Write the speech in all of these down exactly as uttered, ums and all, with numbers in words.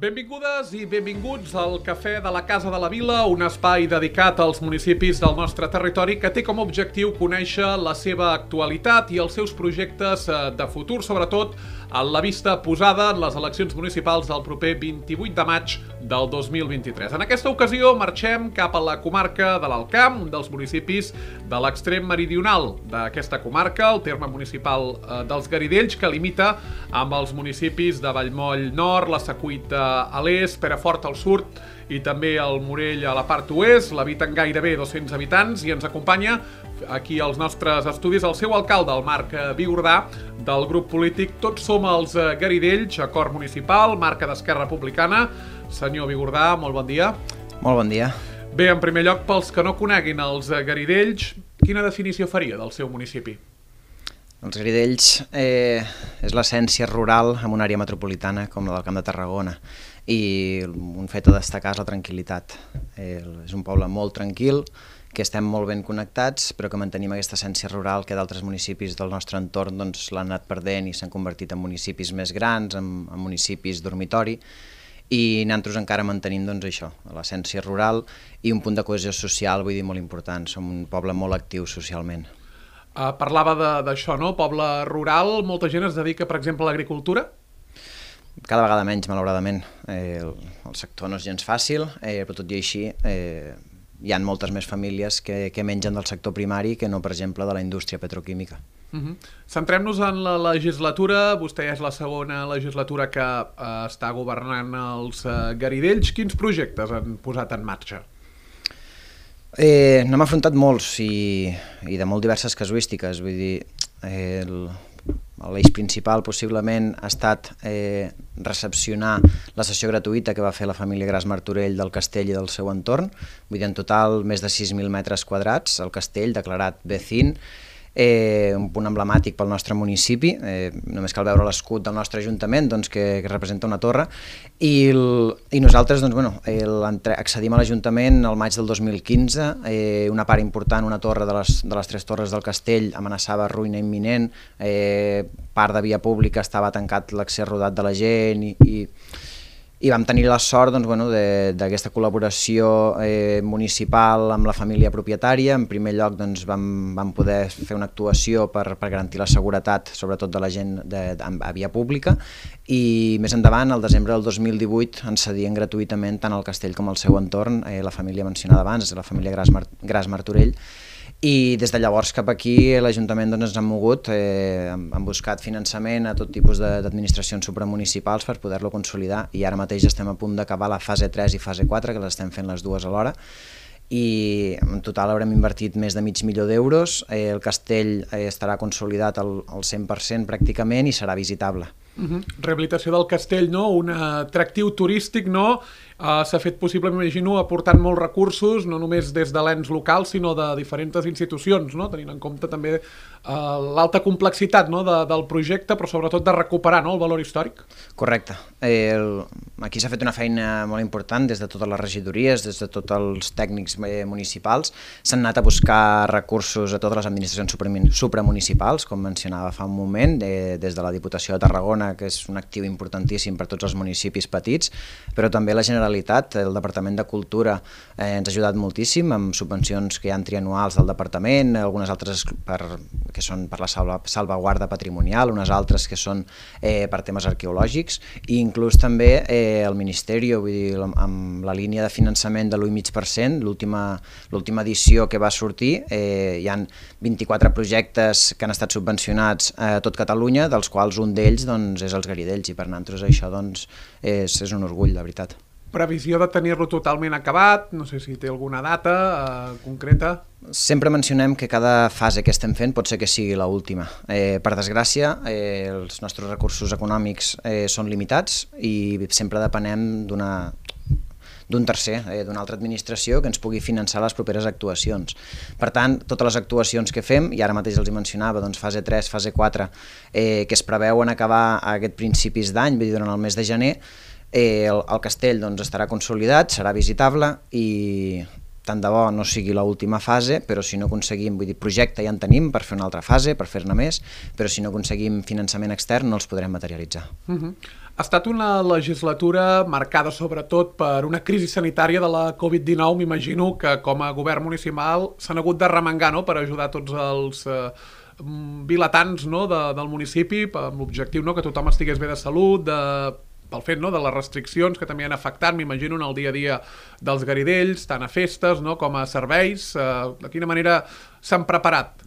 Benvingudes i benvinguts al Cafè de la Casa de la Vila, un espai dedicat als municipis del nostre territori que té com a objectiu conèixer la seva actualitat i els seus projectes de futur, sobretot a la vista posada en les eleccions municipals del proper vint-i-vuit de maig del dos mil vint-i-tres. En aquesta ocasió marxem cap a la comarca de l'Alt Camp, un dels municipis de l'extrem meridional d'aquesta comarca, el terme municipal dels Garidells, que limita amb els municipis de Vallmoll Nord, la Secuita a l'est, Perafort al sud i també el Morell a la part oest. L'habiten gairebé dos-cents habitants i ens acompanya aquí als nostres estudis el seu alcalde, el Marc Vigordà, del grup polític Tots som els Garidells, acord municipal, marca d'Esquerra Republicana. Senyor Vigordà, molt bon dia. Molt bon dia. Bé, en primer lloc, pels que no coneguin els Garidells, quina definició faria del seu municipi? Els Garidells eh, és l'essència rural en una àrea metropolitana com la del Camp de Tarragona, i un fet a destacar és la tranquil·litat. Eh, és un poble molt tranquil, que estem molt ben connectats, però que mantenim aquesta essència rural que d'altres municipis del nostre entorn doncs, l'han anat perdent i s'han convertit en municipis més grans, en, en municipis dormitori, i nosaltres encara mantenim doncs, això, l'essència rural i un punt de cohesió social, vull dir, molt important. Som un poble molt actiu socialment. Uh, parlava d'això, no? Poble rural, molta gent es dedica, per exemple, a l'agricultura? Cada vegada menys, malauradament. Eh, el, el sector no és gens fàcil, eh, però tot i així eh, hi ha moltes més famílies que, que mengen del sector primari que no, per exemple, de la indústria petroquímica. Uh-huh. Centrem-nos en la legislatura. Vostè és la segona legislatura que uh, està governant els uh, Garidells. Quins projectes han posat en marxa? Eh, N'hem afrontat molts i, i de molt diverses casuístiques, vull dir, eh, l'eix principal possiblement ha estat eh, recepcionar la sessió gratuïta que va fer la família Gras Martorell del castell i del seu entorn, vull dir, en total més de sis mil metres quadrats, el castell declarat B C I N, Eh, un punt emblemàtic pel nostre municipi, eh, només cal veure l'escut del nostre ajuntament doncs, que, que representa una torre, i, el, i nosaltres doncs, bueno, el, accedim a l'Ajuntament el maig del dos mil quinze, eh, una part important, una torre de les, de les tres torres del castell amenaçava ruïna imminent, eh, part de via pública estava tancat l'accés rodat de la gent i, i i vam tenir la sort doncs, bueno, d'aquesta col·laboració eh, municipal amb la família propietària. En primer lloc doncs, vam, vam poder fer una actuació per, per garantir la seguretat, sobretot de la gent de, de, a via pública, i més endavant, al desembre del dos mil divuit, ens cedien gratuïtament tant el castell com el seu entorn, eh, la família mencionada abans, la família Gras, Mar Gras Martorell, i des de llavors cap aquí l'Ajuntament doncs, ens ha mogut, eh, han buscat finançament a tot tipus d'administracions supramunicipals per poder-lo consolidar, i ara mateix estem a punt d'acabar la fase tres i fase quatre, que les estem fent les dues alhora, i en total haurem invertit més de mig milió d'euros. Eh, el castell eh, estarà consolidat al, al cent per cent pràcticament i serà visitable. Uh-huh. Rehabilitació del castell, no? Un atractiu turístic, no? Uh, s'ha fet possible, m'imagino, aportant molts recursos, no només des de l'ens local, sinó de diferents institucions, no? Tenint en compte també uh, l'alta complexitat, no? de, del projecte, però sobretot de recuperar, no? El valor històric. Correcte. Eh, el, aquí s'ha fet una feina molt important des de totes les regidories, des de tots els tècnics eh, municipals. S'han anat a buscar recursos a totes les administracions supramunicipals, com mencionava fa un moment, eh, des de la Diputació de Tarragona, que és un actiu importantíssim per tots els municipis petits, però també la Generalitat. El Departament de Cultura eh, ens ha ajudat moltíssim amb subvencions que hi ha trianuals del Departament, algunes altres per, que són per la salva, salvaguarda patrimonial, unes altres que són eh, per temes arqueològics, i inclús també eh, el Ministeri, vull dir, amb la línia de finançament de l'u coma cinc per cent, l'última edició que va sortir, eh, hi ha vint-i-quatre projectes que han estat subvencionats a tot Catalunya, dels quals un d'ells doncs, és els Garidells, i per nosaltres això doncs, és, és un orgull, la veritat. Previsió de tenir-lo totalment acabat? No sé si té alguna data eh, concreta. Sempre mencionem que cada fase que estem fent pot ser que sigui l'última. Eh, per desgràcia, eh, els nostres recursos econòmics eh, són limitats i sempre depenem d'una d'un tercer, eh, d'una altra administració que ens pugui finançar les properes actuacions. Per tant, totes les actuacions que fem, i ara mateix els hi mencionava, doncs fase tres, fase quatre, eh, que es preveuen acabar a aquest principis d'any, vull dir, durant el mes de gener, eh, el, el castell doncs, estarà consolidat, serà visitable i, tant de bo no sigui l'última fase, però si no aconseguim, vull dir, projecte ja en tenim per fer una altra fase, per fer-ne més, però si no aconseguim finançament extern no els podrem materialitzar. Uh-huh. Ha estat una legislatura marcada sobretot per una crisi sanitària de la covid dinou, m'imagino que com a govern municipal s'han hagut de remengar, no?, per ajudar tots els eh, vilatans, no?, de, del municipi, amb l'objectiu, no?, que tothom estigués bé de salut, de... pel fet, no?, de les restriccions que també han afectat, m'imagino, en el dia a dia dels garidells, tant a festes, no?, com a serveis. Eh, de quina manera s'han preparat?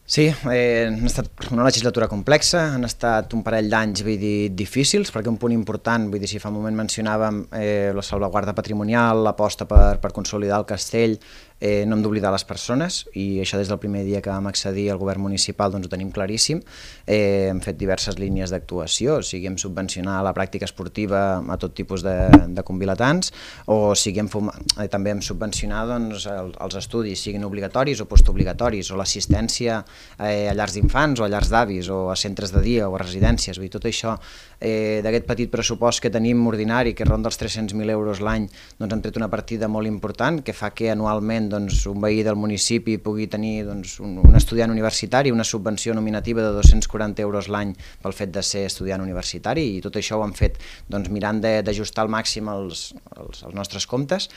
Sí, eh, ha estat una legislatura complexa, han estat un parell d'anys, vull dir, difícils, perquè un punt important, vull dir, si fa un moment mencionàvem eh, la salvaguarda patrimonial, l'aposta per, per consolidar el castell, eh, no hem d'oblidar les persones, i això des del primer dia que vam accedir al govern municipal doncs ho tenim claríssim. Eh, hem fet diverses línies d'actuació, o sigui, hem subvencionat la pràctica esportiva a tot tipus de, de convilatans, o sigui, hem eh, també hem subvencionat doncs, el, els estudis, siguin obligatoris o postobligatoris, o l'assistència eh, a llars d'infants o a llars d'avis, o a centres de dia o a residències. Vull dir, tot això eh, d'aquest petit pressupost que tenim ordinari, que ronda els tres-cents mil euros l'any, doncs hem tret una partida molt important que fa que anualment doncs, un veí del municipi pugui tenir doncs, un, un estudiant universitari, una subvenció nominativa de dos-cents quaranta euros l'any pel fet de ser estudiant universitari, i tot això ho hem fet doncs, mirant d'ajustar al màxim els, els, els nostres comptes,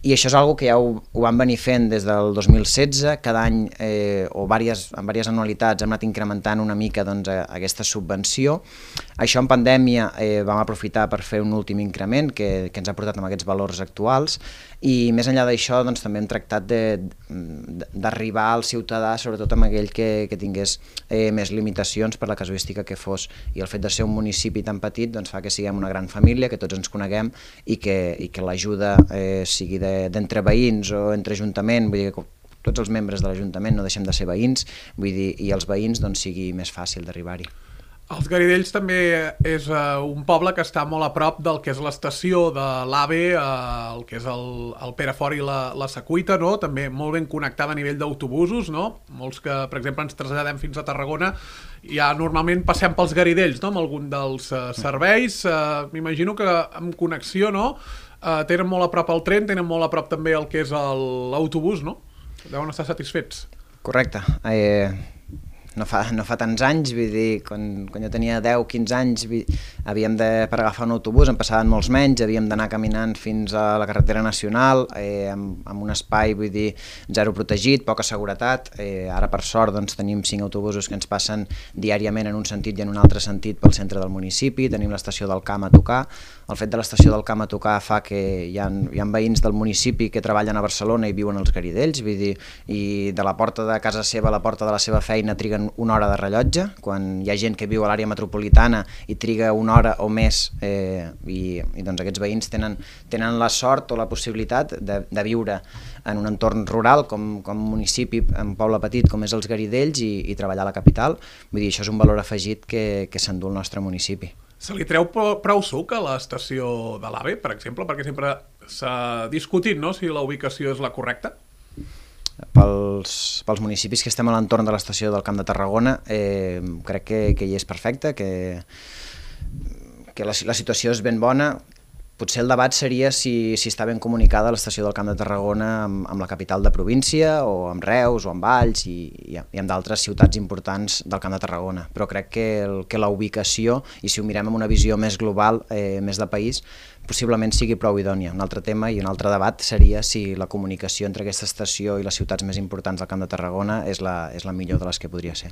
i això és una cosa que ja ho, ho vam venir fent des del dos mil setze, cada any eh, o diverses, en diverses anualitats hem anat incrementant una mica doncs, aquesta subvenció. Això en pandèmia eh, vam aprofitar per fer un últim increment que, que ens ha portat amb aquests valors actuals, i més enllà d'això doncs, també hem tractat d'arribar al ciutadà, sobretot amb aquell que, que tingués eh, més limitacions per la casuística que fos, i el fet de ser un municipi tan petit doncs, fa que siguem una gran família, que tots ens coneguem i que, i que l'ajuda eh, sigui d'entre de, veïns o entre ajuntament, vull dir que tots els membres de l'Ajuntament no deixem de ser veïns, vull dir, i els veïns doncs, sigui més fàcil d'arribar-hi. Els Garidells també és uh, un poble que està molt a prop del que és l'estació de l'AVE, uh, el que és el, el Perafort i la, la Secuita, no? També molt ben connectada a nivell d'autobusos, no? Molts que, per exemple, ens traslladem fins a Tarragona, ja normalment passem pels Garidells, no?, amb algun dels uh, serveis. Uh, M'imagino que amb connexió, no?, uh, tenen molt a prop el tren, tenen molt a prop també el que és l'autobús, no? Deuen estar satisfets. Correcte. Eh... No fa, no fa tants anys, vull dir, quan, quan jo tenia deu quinze anys havíem de, per agafar un autobús, en passaven molts menys, havíem d'anar caminant fins a la carretera nacional, eh, amb, amb un espai, vull dir, zero protegit, poca seguretat. Eh, ara, per sort, doncs, tenim cinc autobusos que ens passen diàriament en un sentit i en un altre sentit pel centre del municipi, tenim l'estació del Camp a tocar. El fet de l'estació del Camp a tocar fa que hi ha, hi ha veïns del municipi que treballen a Barcelona i viuen als Garidells, vull dir, i de la porta de casa seva a la porta de la seva feina triguen una hora de rellotge, quan hi ha gent que viu a l'àrea metropolitana i triga una hora o més, eh, i, i doncs aquests veïns tenen, tenen la sort o la possibilitat de, de viure en un entorn rural com, com un municipi, un poble petit com és els Garidells, i, i treballar a la capital. Vull dir, això és un valor afegit que, que s'endú el nostre municipi. Se li treu prou suc a l'estació de l'AVE, per exemple, perquè sempre s'ha discutit, no?, si la ubicació és la correcta? Pels, pels municipis que estem a l'entorn de l'estació del Camp de Tarragona, eh, crec que, que hi és perfecte, que, que la, la situació és ben bona. Potser el debat seria si, si està ben comunicada l'estació del Camp de Tarragona amb, amb la capital de província, o amb Reus, o amb Valls, i, i, i amb d'altres ciutats importants del Camp de Tarragona. Però crec que, el, que la ubicació, i si ho mirem amb una visió més global, eh, més de país, possiblement sigui prou idònia. Un altre tema i un altre debat seria si la comunicació entre aquesta estació i les ciutats més importants del Camp de Tarragona és la, és la millor de les que podria ser.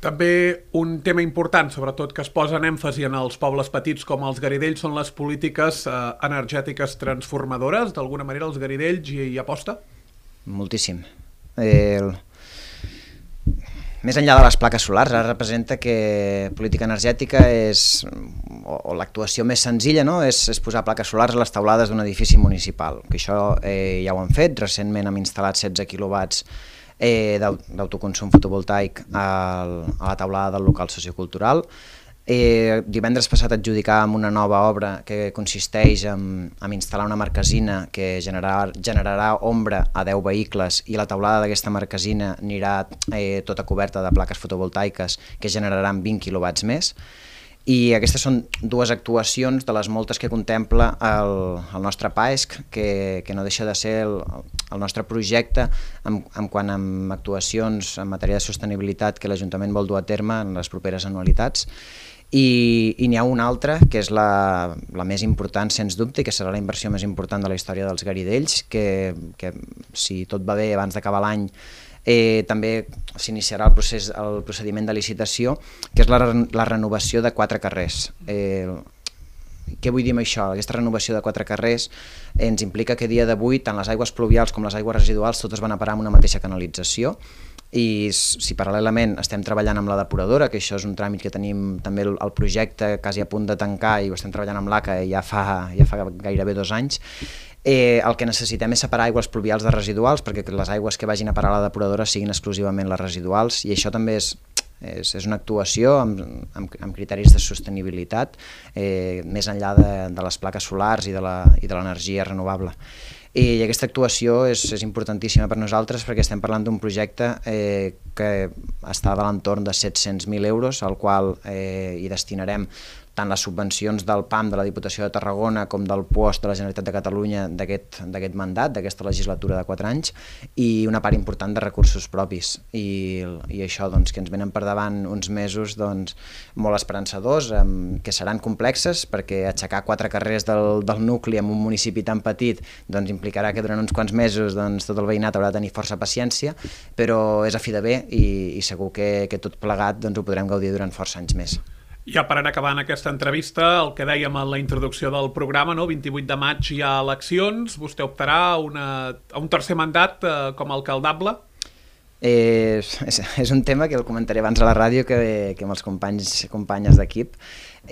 També un tema important, sobretot que es posa en èmfasi en els pobles petits com els Garidells, són les polítiques eh, energètiques transformadores. D'alguna manera els Garidells hi, hi aposta? Moltíssim. Eh, el... Més enllà de les plaques solars, ara representa que política energètica és, o, o l'actuació més senzilla, no?, és, és posar plaques solars a les teulades d'un edifici municipal, que això eh, ja ho han fet. Recentment hem instal·lat setze quilowatts eh, d'autoconsum fotovoltaic al, a la teulada del local sociocultural. Eh, divendres passat adjudicàvem una nova obra que consisteix en, en instal·lar una marquesina que generarà, generarà ombra a deu vehicles, i la teulada d'aquesta marquesina anirà eh, tota coberta de plaques fotovoltaiques que generaran vint quilowatts més. I aquestes són dues actuacions de les moltes que contempla el, el nostre P A E S C, que, que no deixa de ser el, el nostre projecte en, en quant a actuacions en matèria de sostenibilitat que l'Ajuntament vol dur a terme en les properes anualitats. I, i n'hi ha una altra, que és la, la més important, sens dubte, i que serà la inversió més important de la història dels Garidells, que, que si tot va bé abans d'acabar l'any, Eh, també s'iniciarà el, procés, el procediment de licitació, que és la, la renovació de quatre carrers. Eh, què vull dir amb això? Aquesta renovació de quatre carrers eh, ens implica que a dia d'avui tant les aigües pluvials com les aigües residuals totes van a parar en una mateixa canalització, i si paral·lelament estem treballant amb la depuradora, que això és un tràmit que tenim també el, el projecte quasi a punt de tancar i ho estem treballant amb l'A C A ja fa, ja fa gairebé dos anys, Eh, el que necessitem és separar aigües pluvials de residuals perquè les aigües que vagin a parar a la depuradora siguin exclusivament les residuals, i això també és, és, és una actuació amb, amb, amb criteris de sostenibilitat eh, més enllà de, de les plaques solars i de l'energia renovable. I aquesta actuació és, és importantíssima per nosaltres perquè estem parlant d'un projecte eh, que està de l'entorn de set-cents mil euros, al qual eh, hi destinarem tant les subvencions del P A M de la Diputació de Tarragona com del P O S de la Generalitat de Catalunya d'aquest mandat, d'aquesta legislatura de quatre anys, i una part important de recursos propis. I, i això, doncs, que ens venen per davant uns mesos doncs, molt esperançadors, eh, que seran complexes, perquè aixecar quatre carrers del, del nucli en un municipi tan petit doncs, implicarà que durant uns quants mesos doncs, tot el veïnat haurà de tenir força paciència, però és a fi de bé i, i segur que, que tot plegat doncs, ho podrem gaudir durant força anys més. Ja per anar acabant aquesta entrevista, el que dèiem en la introducció del programa, no? vint-i-vuit de maig hi ha eleccions, vostè optarà a, una, a un tercer mandat eh, com a alcaldable? Eh, és, és un tema que el comentaré abans a la ràdio que, que amb els companys companyes d'equip.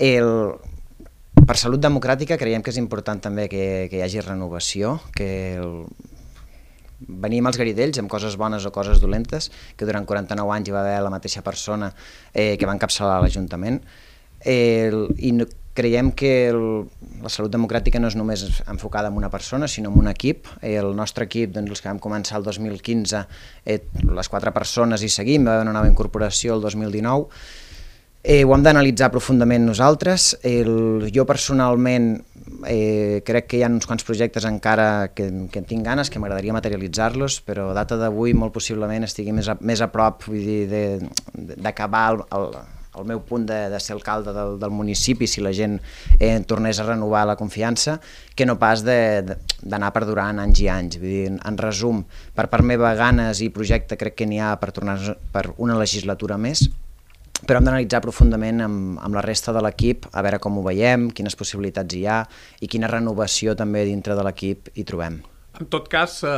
Per salut democràtica creiem que és important també que, que hi hagi renovació, que el, venim als Garidells amb coses bones o coses dolentes, que durant quaranta-nou anys hi va haver la mateixa persona eh, que va encapçalar l'Ajuntament. Eh, I creiem que el, la salut democràtica no és només enfocada en una persona, sinó en un equip. Eh, el nostre equip, doncs, els que vam començar el dos mil quinze, eh, les quatre persones hi seguim, va haver una nova incorporació el dos mil dinou. Eh, ho hem d'analitzar profundament nosaltres. El, jo personalment eh, crec que hi ha uns quants projectes encara que, que tinc ganes, que m'agradaria materialitzar-los, però a data d'avui molt possiblement estigui més a, més a prop, vull dir, d'acabar el, el, el meu punt de, de ser alcalde del, del municipi, si la gent eh, tornés a renovar la confiança, que no pas d'anar perdurant anys i anys. Vull dir, en resum, per part meva, ganes i projecte crec que n'hi ha per tornar per una legislatura més, però hem d'analitzar profundament amb, amb la resta de l'equip, a veure com ho veiem, quines possibilitats hi ha i quina renovació també dintre de l'equip hi trobem. En tot cas, eh,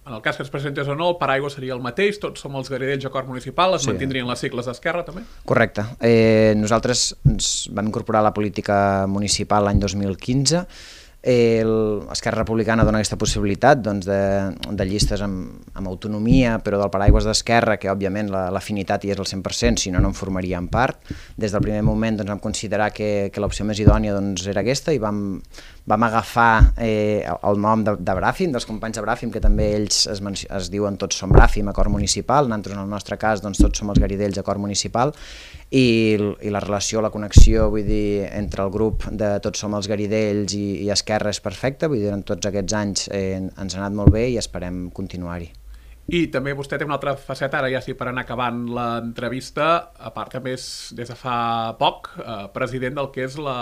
en el cas que es presentés o no, el paraigua seria el mateix, tots som els Garidells acord municipal, es sí. mantindrien les sigles d'Esquerra també? Correcte. Eh, nosaltres ens vam incorporar a la política municipal l'any dos mil quinze. Esquerra Republicana dona aquesta possibilitat doncs, de, de llistes amb, amb autonomia, però del paraigües d'Esquerra, que òbviament l'afinitat hi és al cent per cent, si no, no en formaríem part. Des del primer moment doncs, vam considerar que, que l'opció més idònia doncs, era aquesta i vam, vam agafar eh, el nom de, de Bràfim, dels companys de Bràfim, que també ells es, es diuen tots som Bràfim, acord municipal, nosaltres en el nostre cas doncs, tots som els Garidells, acord municipal, i, i la relació, la connexió, vull dir, entre el grup de tots som els Garidells i, i Esquerra és perfecta, vull dir, en tots aquests anys eh, ens ha anat molt bé i esperem continuar-hi. I també vostè té una altra faceta, ara ja sí per anar acabant l'entrevista, a part també és des de fa poc eh, president del que és la,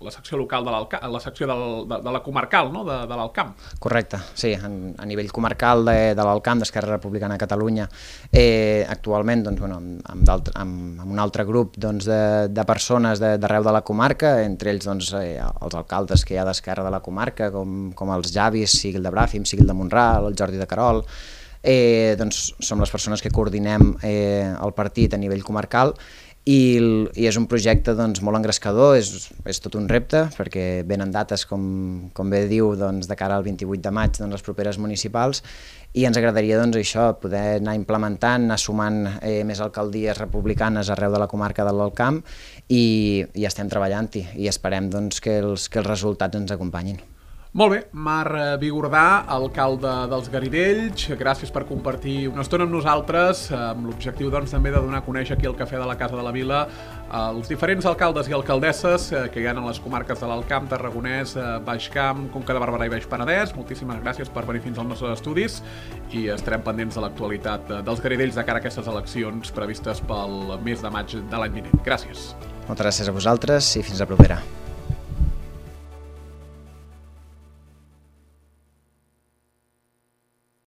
la secció local de l'Alcamp, la secció del, de, de la comarcal, no? de, de l'Alcamp. Correcte, sí, en, a nivell comarcal de, de l'Alcamp, d'Esquerra Republicana de Catalunya, eh, actualment doncs, bueno, amb, amb, amb un altre grup doncs, de, de persones d'arreu de, de la comarca, entre ells doncs, eh, els alcaldes que hi ha d'Esquerra de la comarca, com, com els Javis, sigui el de Bràfim, sigui el de Mont-ral, el Jordi de Querol. Eh, doncs som les persones que coordinem eh, el partit a nivell comarcal i, i és un projecte doncs, molt engrescador, és, és tot un repte perquè venen dates, com, com bé diu, doncs, de cara al vint-i-vuit de maig, doncs, les properes municipals, i ens agradaria doncs, això, poder anar implementant, anar sumant eh, més alcaldies republicanes arreu de la comarca de l'Alcamp i, i estem treballant-hi i esperem doncs, que, els, que els resultats ens acompanyin. Molt bé, Marc Bigordà, alcalde dels Garidells, gràcies per compartir una estona amb nosaltres, amb l'objectiu doncs, també de donar a conèixer aquí al Cafè de la Casa de la Vila els diferents alcaldes i alcaldesses que hi ha en les comarques de l'Alt Camp, Tarragonès, Baix Camp, Conca de Barberà i Baix Penedès. Moltíssimes gràcies per venir fins als nostres estudis i estarem pendents de l'actualitat dels Garidells de cara a aquestes eleccions previstes pel mes de maig de l'any vinent. Gràcies. Moltes gràcies a vosaltres i fins la propera.